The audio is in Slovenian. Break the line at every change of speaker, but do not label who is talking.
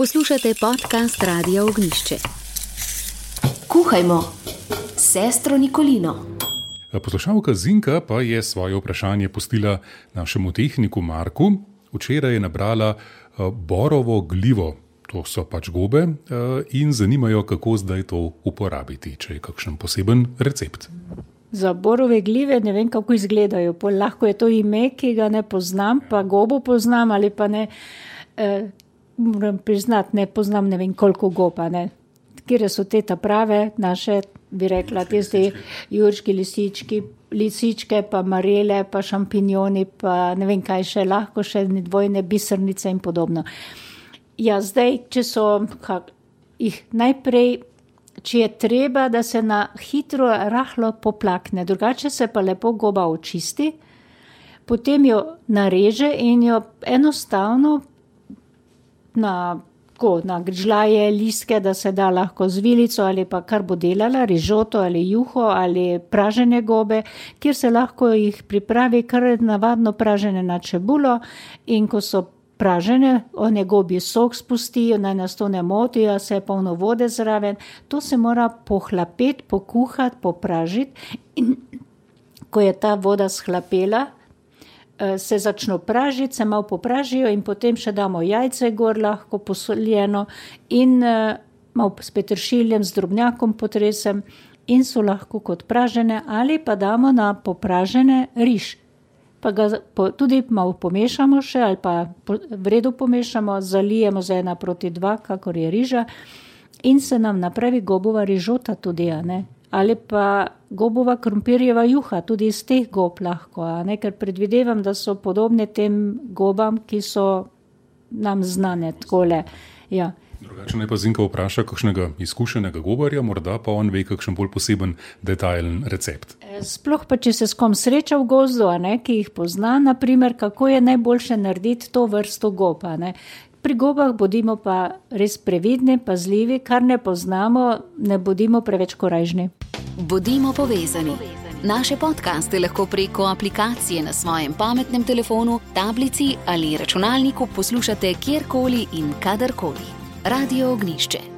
Poslušate podcast Radia Ognjišče.
Kuhajmo s sestro Nikolino.
Poslušalka Zinka pa je svoje vprašanje pustila našemu tehniku Marku. Včeraj je nabrala borovo glivo, to so pač gobe, in zanimajo, kako zdaj to uporabiti, če je kakšen poseben recept.
Za borove glive ne vem, kako izgledajo. Lahko je to ime, ki ga ne poznam, pa gobo poznam ali pa ne. Moram priznati, ne poznam ne vem koliko goba. Kjer so te prave naše, bi rekla, tiste jurški lisičke, pa marele, pa šampinjoni, pa ne vem kaj še, lahko še dvojne bisernice in podobno. Ja, zdaj, če so jih najprej, če je treba, da se na hitro rahlo poplakne, drugače se pa lepo goba očisti, potem jo nareže in jo enostavno na gržljaje, listke, da se da lahko z vilico ali pa kar bo delala, rižoto ali juho ali pražene gobe, kjer se lahko jih pripravi kar navadno pražene na čebulo in ko so pražene, one gobji sok spustijo, naj nas to ne motijo, se je polno vode zraven, to se mora pohlapeti, pokuhati, popražiti in ko je ta voda shlapela, se začno pražiti, se malo popražijo in potem še damo jajce gor, lahko posoljeno in malo s peteršiljem, z drobnjakom potresem in so lahko kot pražene ali pa damo na popražene riž. Pa ga tudi malo pomešamo še ali pa v redu pomešamo, zalijemo za 1:2, kakor je riža in se nam napravi gobova rižota tudi, ali pa gobova krompirjeva juha, tudi iz teh gob lahko, ker predvidevam, da so podobne tem gobam, ki so nam znane takole. Ja.
Drugače naj pa Zinka vpraša kakšnega izkušenega gobarja, morda pa on ve kakšen bolj poseben detajlen recept.
Sploh pa, če se s kom sreča v gozdu, ki jih pozna, naprimer, kako je najboljše narediti to vrsto gob. Pri gobah bodimo pa res previdni, pazljivi, kar ne poznamo, ne bodimo preveč korajžni.
Bodimo povezani. Naše podcaste lahko preko aplikacije na svojem pametnem telefonu, tablici ali računalniku poslušate kjerkoli in kadarkoli. Radio Ognjišče.